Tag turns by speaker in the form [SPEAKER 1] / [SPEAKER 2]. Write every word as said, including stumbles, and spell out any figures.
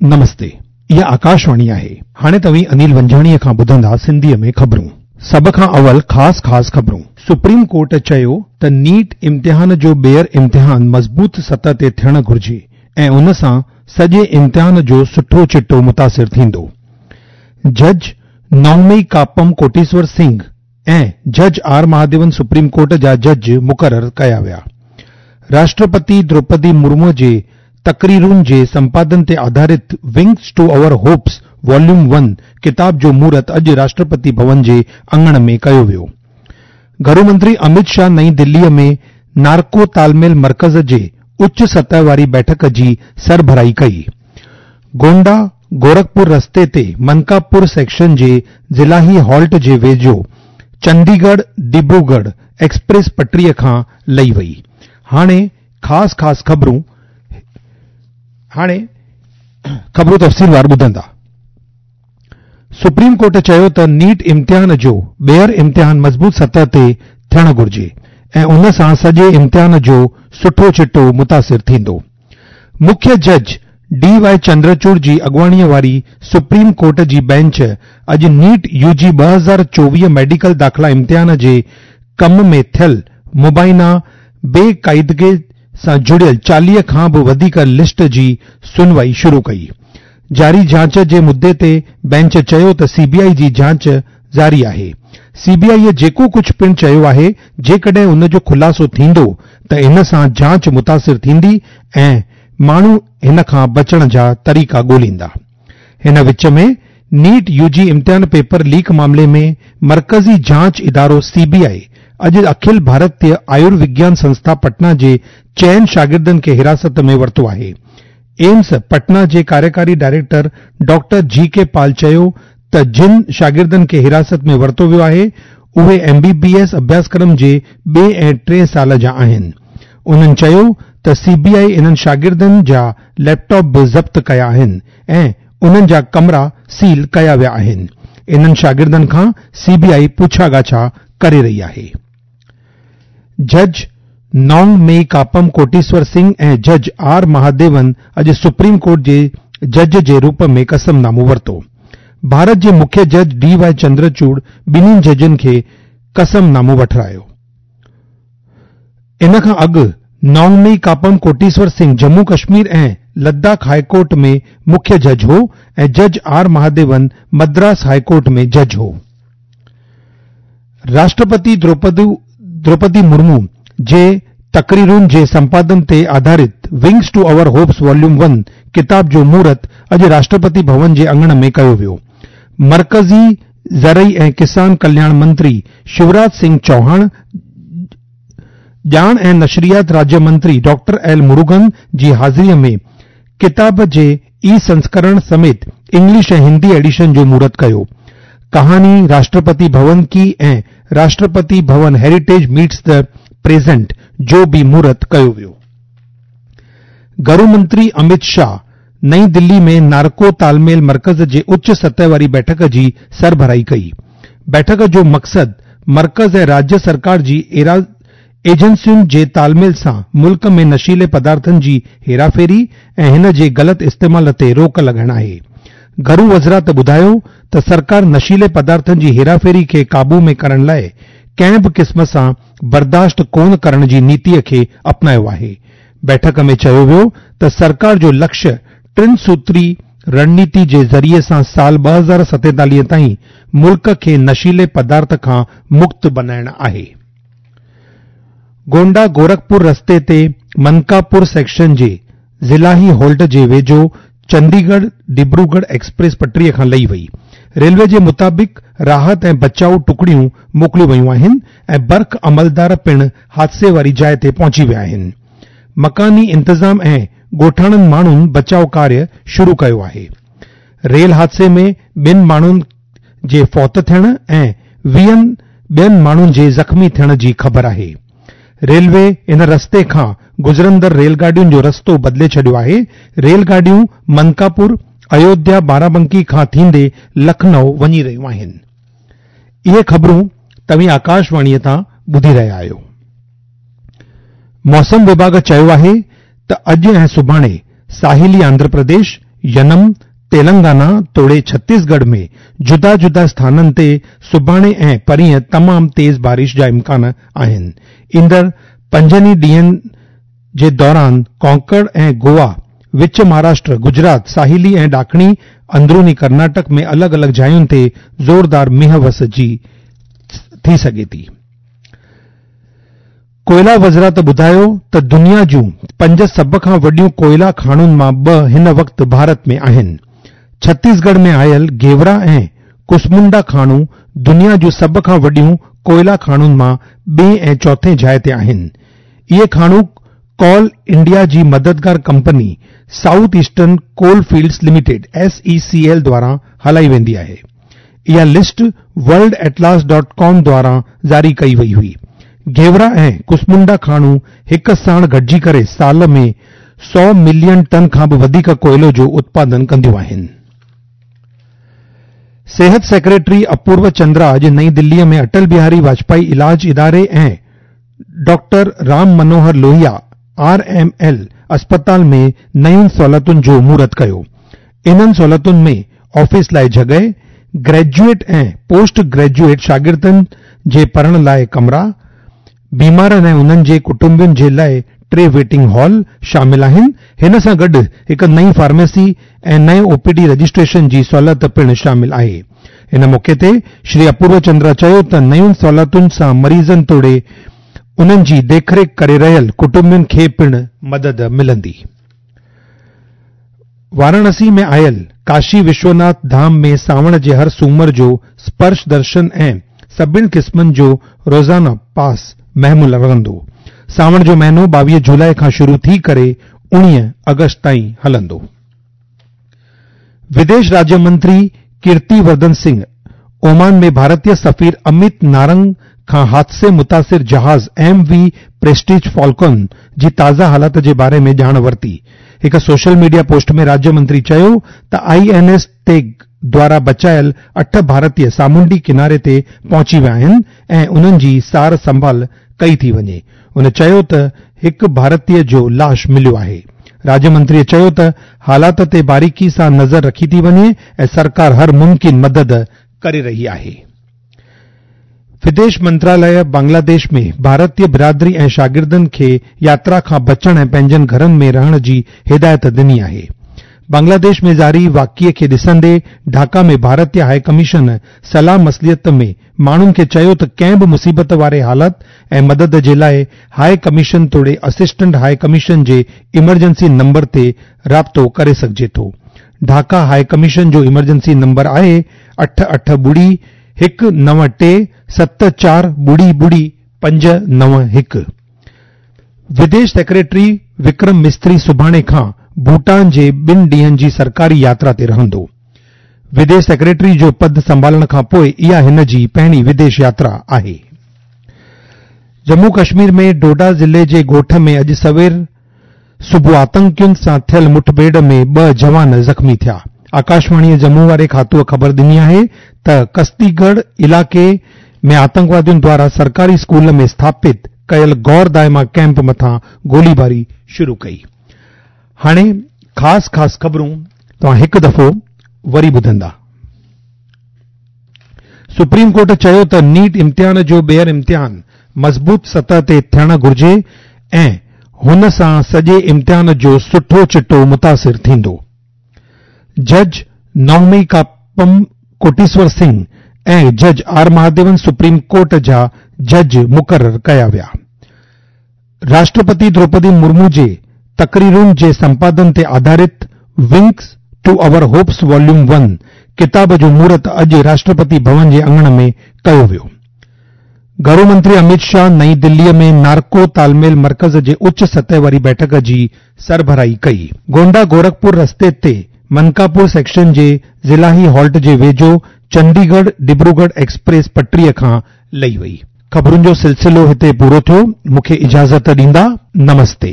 [SPEAKER 1] نمستي، اها آڪاشواڻي آهي. هاڻي توهين انيل ونجاڻيء کان ٻڌندا سنڌيء ۾ خبرون. سڀ کان اول خاص خاص خبرون. سپريم ڪورٽ چيو ته نيٽ امتحان جو ٻيهر امتحان مضبوط سطح تي ٿيڻ گهرجي ۽ ان سان سڄي امتحان جو سٺو چٽو متاثر ٿيندو. جج نونگمئي ڪاپم ڪوٽيسور سنگهه ۽ جج آر مهاديون سپريم ڪورٽ جا جج مقرر ڪيا ويا. راشٽرپتي دروپدي مرمو جي تقريرن جي سمپادن تي آڌارت Wings to Our Hopes Volume one ڪتاب جو مهورت اڄ راشٽرپتي ڀون جي اڱڻ ۾ ڪيو ويو. گهرو منتري امت شاهه نئين دليء ۾ نارڪو تالميل مرڪز جي اچ سطح واري بيٺڪ جي سربراهي ڪئي. گونڊا گورکپور رستي تي منڪاپور سيڪشن جي ضلعي هالٽ جي ويجهو چنديڳڙهه ڊبروڳڙهه ايڪسپريس پٽڙيء کان لهي وئي. هاڻي خاص خاص خبرون هاڻي خبرون تفصيلوار ٻڌندا. سپريم ڪورٽ چيو ته نيٽ امتحان جو ٻيهر امتحان مضبوط سطح تي ٿيڻ گهرجي ۽ ان سان سڄي امتحان جو سٺو چٽو متاثر ٿيندو. مکيه جج ڊي وائي چندرچوڙ جي اڳواڻيء واري سپريم ڪورٽ جي بينچ اڄ نيٽ يو جي ٻه هزار چوويهه ميڊيڪل داخلا امتحان جي ڪم ۾ ٿيل مبينا بي قاعدگي سان جڙيل چاليهه کان به وڌيڪ لسٽ جي سنوائي شروع ڪئي. جاري جاچ جي مدعي تي بينچ چيو ته سي بي آء جي جاچ جاري آهي. سي بي آء جيڪو ڪجهه پڻ چيو آهي، جيڪڏهن ان جو خلاصو ٿيندو ته ان سان جاچ متاثر ٿيندي ۽ ماڻهو هن کان بچڻ جا طريقا ڳوليندا. هن وچ ۾ نيٽ يو جي امتحان پيپر ليڪ معاملي ۾ مرڪزي جاچ ادارو سي بي آء اڄ اکل ڀارتيه آيوروگيان سنسٿا پٽنا جي چئن شاگردن کي حراست ۾ ورتو آهي. ايمس پٽنا جي ڪاريڪاري ڊائريڪٽر ڊاڪٽر جي ڪي پال چيو ته جن شاگردن کي حراست ۾ ورتو ويو آهي، اهي ايم بي بي ايس اڀياسڪرم جي ٻئي ۽ ٽئين سال جا آهن. انهن چيو ته سي بي آء انهن شاگردن جا ليپ ٽاپ به ضبط ڪيا آهن ۽ انهن جا ڪمرا سيل ڪيا ويا آهن. انهن شاگردن کان سي بي آء پڇا ڳاڇا ڪري رهي آهي. جج نونگ مئي ڪاپم ڪوٽيسور سنگهه ۽ جج آر مهاديون اڄ سپريم ڪورٽ جي جج جي روپ ۾ قسم نامو ورتو. ڀارت جي مکيه جج ڊي وائي چندرچوڙ ٻنهي ججن کي قسم نامو وٺرايو. ان کان اڳ نونگمئي ڪاپم ڪوٽيسور سنگهه ڄمون ڪشمير ۽ لداخ هاء ڪورٽ ۾ مکيه جج هو ۽ جج R Mahadevan Madras high court ۾ جج هو. راشٽرپتي دروپدي مرمو جي تقريرن جي سمپادن تي آڌارت Wings to Our Hopes Volume one ڪتاب جو مهورت اڄ راشٽرپتي ڀون جي اڱڻ ۾ ڪيو ويو. مرڪزي زرعي ۽ ڪسان ڪلياڻ منتري شيوراج سنگهه چوهاڻ، ڄاڻ ۽ نشريات راجيه منتري ڊاڪٽر ايل مروگن جي حاضريء ۾ ڪتاب جي اي سنسڪرڻ سميت انگلش ۽ هندي ايڊيشن جو مهورت ڪيو. ڪهاني راشٽرپتي ڀون ڪي ۽ Rashtrapati Bhavan Heritage Meets the Present جو به مهورت ڪيو ويو. گهرو منتري امت شاهه نئين دلي ۾ نارڪو تالميل مرڪز جي اچ سطح واري بيٺڪ جي سربراهي ڪئي. بيٺڪ جو مقصد مرڪز ۽ راجيه سرڪار جي ايجنسين جي تالميل سان ملڪ ۾ نشيلي پدارٿن جي هيراڦيري ۽ هن جي غلط استعمال تي روڪ لڳائڻ آهي. گهرو وزارت ٻڌايو ته سرڪار نشيلي پدارٿن جي هيراڦيري کي قابو ۾ ڪرڻ لاء ڪنهن به قسم سان برداشت ڪونه ڪرڻ جي نيتي کي اپنايو آهي. بيٺڪ ۾ چيو ويو ته سرڪار جو لڪشيه ٽن سوتري رڻنيتي جي ذريعي سان سال ٻه هزار ستيتاليهه تائين ملڪ کي نشيلي پدارٿ کان مڪت بنائڻ آهي. گونڊا گورکپور رستي تي منڪاپور سيڪشن جي ضلعي هالٽ جي ويجهو چنديڳڙهه ڊبروڳڙهه ايڪسپريس پٽڙيء کان لهي وئي. ريلوي جي مطابق راحت ۽ بچاء ٽڪڙيون موڪليون ويون آهن ۽ برق عملدار پڻ حادثي واري جاءِ تي پهچي ويا آهن. مڪاني انتظام ۽ ڳوٺاڻن ماڻهن بچاء ڪاريه شروع ڪيو آهي. ريل حادثي ۾ ٻن ماڻهن جي فوت ٿيڻ ۽ ويهن ٻين ماڻهن جي زخمي ٿيڻ جي خبر آهي. ريلوي ان رستي کان گذرندڙ ريل گاڏين جو رستو بدلي ڇڏيو آهي. ريل گاڏيون منڪاپور، ايوڌيا بارابنڪي کان ٿيندي لکنؤ وڃي رهيون آهن. اهي خبرون توهين آڪاشواڻيء تان ٻڌي رهيا آهيو. موسم وڀاڳ چيو آهي ته اڄ ۽ سڀاڻي ساحلي آنڌرا پرديش، ينم، تيلنگانا توڙي ڇتيسڳڙهه ۾ جدا جدا اسٿانن تي سڀاڻي ۽ پرينء تمام تيز بارش جا امڪان آهن. ايندڙ پنجن ئي ڏينهن جي دوران ڪونڪڻ ۽ گوا، وچ مهاراشٽر، گجرات، ساحلي ۽ ڏاکڻي اندروني ڪرناٽڪ ۾ الڳ الڳ جاين تي زوردار مينهن وس جي ٿي سگهي ٿي. ڪوئلا وزارت ٻڌايو ته دنيا جون پنج سڀ کان وڏيون ڪوئلا کاڻن مان ٻه هن وقت ڀارت ۾ آهن. ڇتيسڳڙهه ۾ آيل گيورا ۽ ڪسمنڊا کاڻون دنيا جون سڀ کان وڏيون ڪوئلا کاڻن مان ٻئين ۽ چوٿين جاء تي آهن. اهي کاڻون ڪول انڊيا جي مددگار company South Eastern Coalfields Limited, S E C L, دواران هلائي ويندي آهي. اها list World Atlas dot com دواران جاري ڪئي وئي هئي. گيورا ۽ ڪسمنڊا کاڻون هڪ ساڻ گڏجي ڪري سال ۾ سؤ ملين ٽن کان به وڌيڪ ڪوئلو جو اتپادن ڪنديون آهن. صحت سيڪريٽري اپورو چندرا اڄ نئين دلي ۾ اٽل بهاري واجپائي علاج اداري ۽ doctor Ram Manohar Lohia R M L اسپتال ۾ نين سهولتن جو مهورت ڪيو. انهن سهولتن ۾ آفيس لاءِ جڳهه، گريجوئيٽ ۽ پوسٽ گريجوئيٽ شاگردن جي پڙهڻ لاءِ ڪمرا، بيمارن ۽ انهن جي ڪٽنبن جي لاءِ ٽي ويٽنگ هال شامل آهن. هن سان گڏ هڪ نئين فارميسي ۽ نئين او پي ڊي رجسٽريشن جي سهولت پڻ شامل آهي. ان موقعي تي شري اپورو چندرا چيو ته نين سهولتن سان مريضن توڙي انهن جي ديک ريک ڪري رهيل ڪٽنبن کي پڻ مدد ملندي. واراڻسي ۾ آيل ڪاشي وشوناٿ ڌام ۾ سانوڻ جي هر سومر جو سپرش درشن ۽ سڀني قسمن جو روزانه پاس مهمل رهندو. سانوڻ جو مهينو ٻاويهه جولاءِ کان شروع ٿي ڪري اڻويهه آگسٽ تائين هلندو. وديش راجيه منتري ڪيرتي ورڌن سنگهه اومان ۾ ڀارتيه سفير امت نارنگ کان حادثي متاثر جهاز ايم وي پريسٽيج فالڪن جي تازه حالات جي باري ۾ ڄاڻ ورتي. هڪ سوشل ميڊيا پوسٽ ۾ راجيه منتري چيو ته I N S تيگ دوارا بچايل اٺ ڀارتيه سامونڊي ڪناري تي پهچي ويا آهن ۽ انهن جي سار سنڀال ڪئي ٿي وڃي. هن چيو ته هڪ ڀارتيه جو لاش مليو آهي. راجيه منتري چيو ته حالات تي باريڪي سان نظر رکي ٿي وڃي ۽ سرڪار هر ممڪن مدد ڪري رهي آهي. وديش منتراليه بنگلاديش ۾ ڀارتيه برادري ۽ شاگردن کي ياترا کان بچڻ ۽ پنهنجن گهرن ۾ رهڻ جي هدايت ڏني آهي. بنگلاديش ۾ جاري واقعي کي ڏسندي ڍاڪا ۾ ڀارتيه هاءِ ڪميشن صلاح مصلحت ۾ ماڻهن کي چيو ته ڪنهن به مصيبت واري حالت ۽ مدد جي لاءِ هاءِ ڪميشن توڙي اسسٽنٽ هاءِ ڪميشن جي ايمرجنسي نمبر تي رابطو ڪري سگهجي ٿو. ڍاڪا هاءِ ڪميشن جو ايمرجنسي نمبر آهي اٺ اٺ ٻڙي هڪ نو ٽي ست چار ٻڙي ٻڙي پنج نو هڪ. وديش سيڪريٽري وڪرم مستري سڀاڻي کان ڀوٽان جي ٻن ڏينهن جي سرڪاري ياترا تي رهندو. وديش سيڪريٽري جو پد سنڀالڻ کان پوءِ اها هن جي پهرين وديش ياترا آهي. ڄمون ڪشمير ۾ ڊوڊا ضلعي جي ڳوٺ ۾ اڄ سوير صبح آتنڪين سان ٿيل مٺڀيڙ ۾ ٻه جوان زخمي ٿيا. آڪاشواڻي ڄمون واري کاتوءَ خبر ڏني آهي ته ڪستيڳڙهه علائقي ۾ آتنڪوادين دوارا سرڪاري اسڪول ۾ اسٿاپت ڪيل غور دائما ڪيمپ مٿان گوليباري شروع ڪئي. هاڻي خاص خاص خبرون توهان هڪ دفعو وري ٻڌندا. سپريم ڪورٽ چيو ته نيٽ امتحان جو ٻيهر امتحان مضبوط سطح تي ٿيڻ گهرجي ۽ هن سان سڄي امتحان جو سٺو چٽو متاثر ٿيندو. جج نومي ڪاپم ڪوٽيشور سنگهه ۽ جج آر مهاديون سپريم ڪورٽ جا جج مقرر ڪيا ويا. راشٽرپتي دروپدي مرمو جي تقريرن جي سمپادن تي آڌارت Wings to Our Hopes volume one ڪتاب جو مهورت اڄ راشٽرپتي ڀون جي اڱڻ ۾ ڪيو ويو. گهرو منتري امت شاهه نئين دلي ۾ نارڪو تالميل مرڪز جي اچ سطح واري بيٺڪ جي سربراهي ڪئي. گونڊا گورکپور رستي تي منڪاپور سيڪشن جي ضلعي هالٽ جي ويجهو چنڊيڳڙهه ڊبروڳڙهه ايڪسپريس پٽڙيءَ کان لهي وئي. خبرن جو سلسلو هتي پورو ٿيو. مون کي اجازت ڏيندا. نمستي.